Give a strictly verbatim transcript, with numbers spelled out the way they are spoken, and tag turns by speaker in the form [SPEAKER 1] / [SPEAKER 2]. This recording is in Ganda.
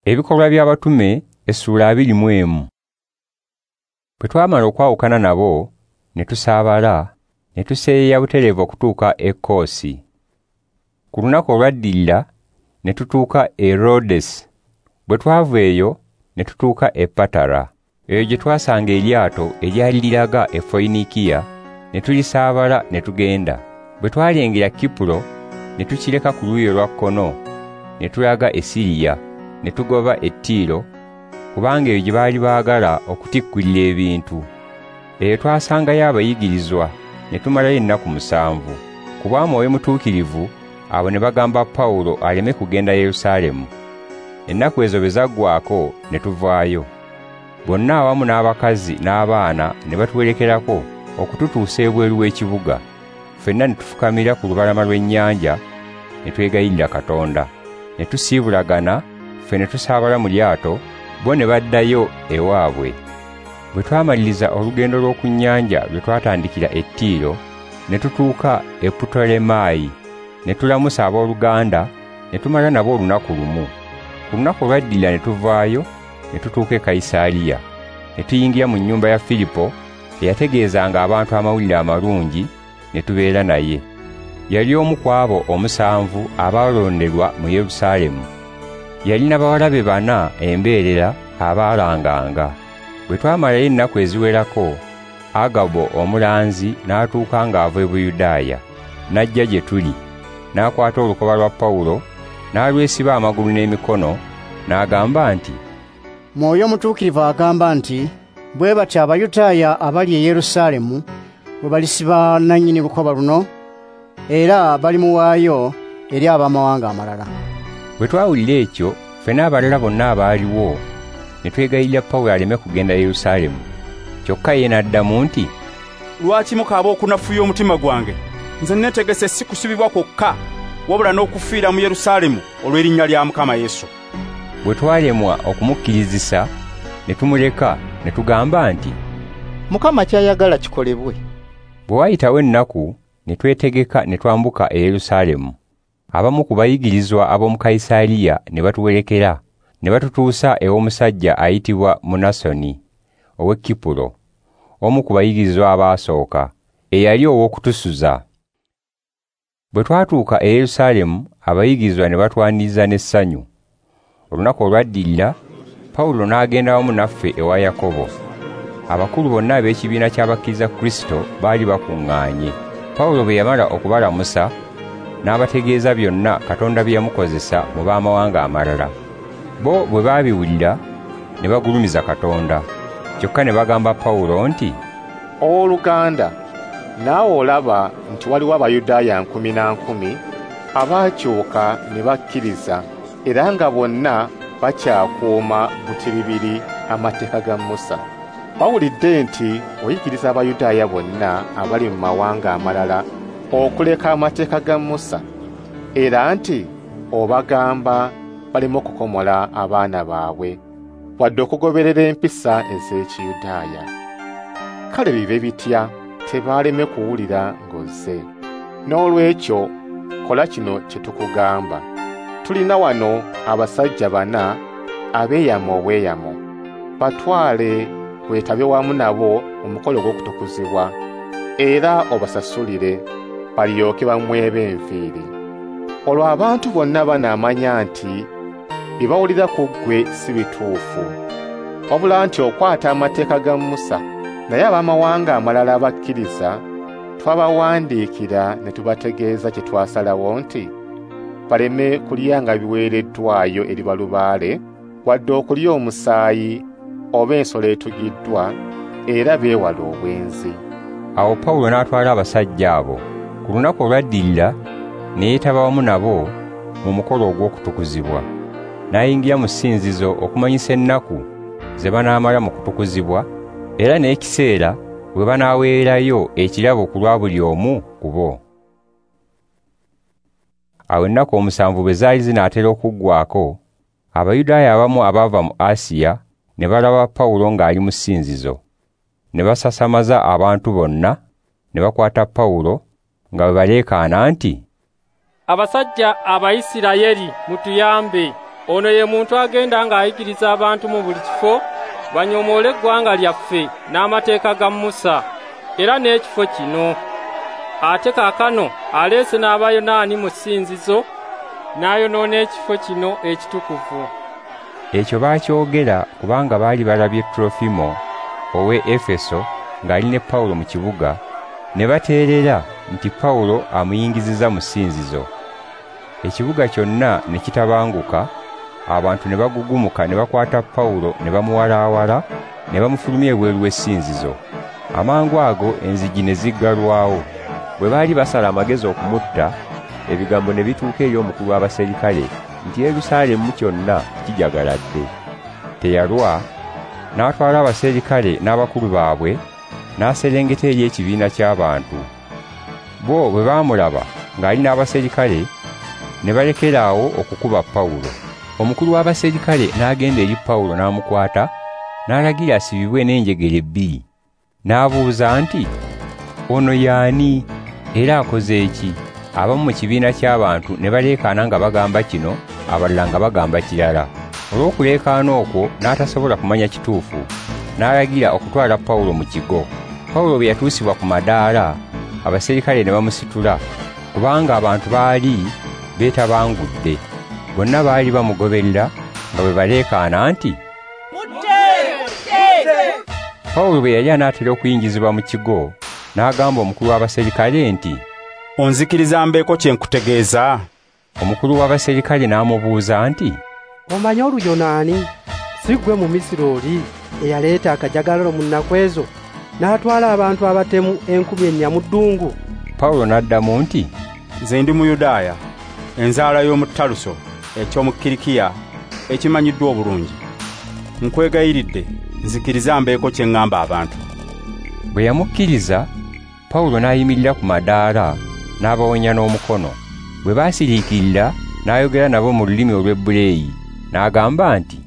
[SPEAKER 1] Ebikolwa by'Abatume essuula abiri mu emu. Bwe twamala okwawukana nabo ne tusaabala ne tuseeyeeya butereevu okutuuka e Koosi. Ku lunaku olwaddirira ne tutuuka e Rhodesi. Bwe twava eyo ne tutuuka e Patara. Eyo gye twasanga eryato eryali liraga e Foyinikiya ne tulisaabala ne tugenda. Bwe twalengera Kipuro ne tukireka ku luuyi olwa kkono ne tulaga e Siriya ne tugoba e Tiiro, kubanga eyo gye baali baagala okutikkulira ebintu. Eyo twasangayo abayigirizwa ne tumalayo ennaku musanvu. Ku bwa Mwoyo Mutuukirivu abo ne bagamba Pawulo aleme kugenda Yerusaalemu. Ennaku ezo bwe zaggwaako ne tuvaayo. Bonna awamu n'abakazi n'abaana ne batuwerekerako okututuusa ebweru w'ekibuga. Ffenna ne tufukamira ku lubalama lw'ennyanja ne twegayirira Katonda. Ne tusiibulagana, ffe ne tusaabala mu lyato, bo ne baddayo ewaabwe. Bwe twamaliriza olugendo lw'oku nnyanja lwe twatandikira e Tiiro, ne tutuuka e Putolemaayi, ne tulamusa abooluganda, ne tumala nabo olunaku lumu. Ku lunaku olwaddirira ne tuvaayo, ne tutuuka e Kayisaaliya. Ne tuyingira mu nnyumba ya Firipo, eyategeezanga abantu amawulire amalungi, ne tubeera naye. Yali omu ku abo omusanvu abaalonderwa mu Yerusaalemu. Yalina bawala be bana embeerera abaalanganga. Bwe twamalayo ennaku eziwerako, Agabo omulanzi n'atuuka ng'ava e Buyudaaya, n'ajja gye tuli, n'akwata olukoba lwa Pawulo, n'alwesiba amagulu n'emikono, n'agamba nti,
[SPEAKER 2] Mwoyo Mutuukirivu agamba nti, bwe batyo Abayudaaya abali e Yerusaalemu bwe balisiba nannyini lukoba luno, era balimuwaayo eri abamawanga amalala.
[SPEAKER 1] Bwe twawulira ekyo, ffe n'abalala bonna abaaliwo ne twegayirira Pawulo aleme kugenda Yerusaalemu. Kyokka ye n'addamu nti,
[SPEAKER 3] Lwaki mukaaba okunafuya omutima gwange? Nze neetegese si kusibibwa kwokka, wabula n'okufiira mu Yerusaalemu olw'erinnya lya Mukama Yesu.
[SPEAKER 1] Bwe twalemwa okumukkirizisa, ne tumuleka ne tugamba nti,
[SPEAKER 4] Mukama ky'ayagala kikolebwe.
[SPEAKER 1] Bwe wayitawo ennaku ne twetegeka ne twambuka e Yerusaalemu. Abamu ku bayigirizwa ab'omu Kayisaaliya ne batuwerekera, ne batutuusa ew'omusajja ayitibwa Munasoni ow'e Kipuro, omu ku bayigirizwa abaasooka, eyali ow'okutusuza. Bwe twatuuka e Yerusaalemu, abayigirizwa ne batwaniriza n'essanyu. Olunaku olwaddirira, Pawulo n'agenda wamu naffe ewa Yakobo. Abakulu bonna ab'ekibiina ky'abakkiriza Kristo baali bakuŋŋaanye. Pawulo bwe yamala okubalamusa, n'abategeeza byonna Katonda bye yamukozesa mu b'amawanga amalala. Bo bwe baabiwulira ne bagulumiza Katonda. Kyokka ne bagamba Pawulo nti,
[SPEAKER 5] Owooluganda, naawe olaba nti waliwo Abayudaaya nkumi na nkumi abaakyuka ne bakkiriza, era nga bonna bakyakuuma butiribiri amateeka ga Musa. Bawulidde nti oyigiriza Abayudaaya bonna abali mu mawanga amalala okuleka amateeka ga Musa, era nti obagamba baleme okukomola abaana baabwe wadde okugoberera empisa ez'Ekiyudaaya. Kale bibe bitya tebaaleme kuwulira ng'ozze. Noolwekyo kola kino kye tukugamba. Tulina wano abasajja bana abeeyama obweyamo, batwale weetabe wamu nabo mu mukolo gw'okutukuzibwa, era obasasulire balyoke bamwebe enviiri. Olwo abantu bonna banaamanya nti bye bawulira ku ggwe si bituufu, wabula nti okwata amateeka ga Musa. Naye abamawanga amalala abakkiriza twabawandiikira ne tubategeeza kye twasalawo nti baleme kulyanga biweereddwayo eri balubaale, wadde okulya omusaayi oba ensolo etugiddwa, era beewale obwenzi.
[SPEAKER 1] Awo Pawulo n'atwala abasajja abo. Ku lunaku olwaddirira ne yeetaba wamu nabo mu mukolo ogw'okutukuzibwa. N'ayingira mu ssinzizo okumanyisa ennaku ze banaamala mu kutukuzibwa, era n'ekiseera bwe banaaweerayo ekirabo ku lwa buli omu ku bo. Awo ennaku omusanvu bwe zaali zinaatera okuggwaako, Abayudaaya abamu abaava mu Asiya ne balaba Pawulo ng'ali mu ssinzizo. Ne basasamaza abantu bonna, ne bakwata Pawulo nga bwe baleekaana nti,
[SPEAKER 6] Abasajja Abayisirayeli mutuyambe. Ono ye muntu agenda ng'ayigiriza abantu mu buli kifo banyomoole eggwanga lyaffe n'amateeka ga Musa era n'ekifo kino. Ate kaakano aleese n'Abayonaani mu ssinzizo n'ayonoona ekifo kino ekitukuvu.
[SPEAKER 1] Ekyo baakyogera kubanga baali balabye Trofimo ow'e Efeso ng'ali ne Pawulo mu kibuga, ne bateerera nti Pawulo amuyingizizza mu ssinzizo. Ekibuga kyonna ne kitabanguka, abantu ne bagugumuka ne bakwata Pawulo ne bamuwalaawala ne bamufulumya ebweru w'essinzizo. Amangu ago enzigi ne ziggalwawo. Bwe baali basala amagezi okumutta, ebigambo ne bituuka eri omukulu w'abaserikale nti Yerusaalemu kyonna kijagaladde. Teyalwa, n'atwala abaserikale n'abakulu baabwe, n'aserengeta eri ekibiina ky'abantu. Bo bwe baamulaba ng'ali n'abaserikale, ne balekera awo okukuba Pawulo. Omukulu w'abaserikale n'agenda eri Pawulo n'amukwata, n'alagira asibibwe n'enjegere ebbiri. N'abuuza nti, "Ono y'ani era akoze ki?" Abamu mu kibiina ky'abantu ne baleekaana nga bagamba kino, abalala nga bagamba kirala. Olw'okuleekaana okwo n'atasobola kumanya kituufu, n'alagira okutwala Pawulo mu kigo. Pawulo bwe yatuusibwa ku madaala, abaserikale ne bamusitula, kubanga abantu baali beetabangudde. Bonna baali bamugoberera nga bwe baleekaana nti,
[SPEAKER 7] "Mutte! Mutte!"
[SPEAKER 1] Pawulo bwe yali anaatera okuyingizibwa mu kigo, n'agamba omukulu w'abaserikale nti,
[SPEAKER 3] "Onzikiriza mbeeko kye nkutegeeza?"
[SPEAKER 1] Omukulu w'abaserikale n'amubuuza nti,
[SPEAKER 8] "Omanyi Oluyonaani? Si ggwe mu Misiri oli eyaleeta akajagalalo mu nnaku ezo n'atwala abantu abatemu enkumi ennya mu ddungu?"
[SPEAKER 1] Pawulo n'addamu nti,
[SPEAKER 3] "Nze ndi Muyudaaya, enzaala y'omu Taluso eky'omu Kirikiya ekimanyiddwa obulungi. Nkwegayiridde nzikiriza mbeeko kye ŋŋamba abantu."
[SPEAKER 1] Bwe yamukkiriza, Pawulo n'ayimirira ku madaala n'abawonya n'omukono. Bwe baasiriikirira, n'ayogera nabo mu lulimi olw'Ebbuleeyi, n'agamba nti,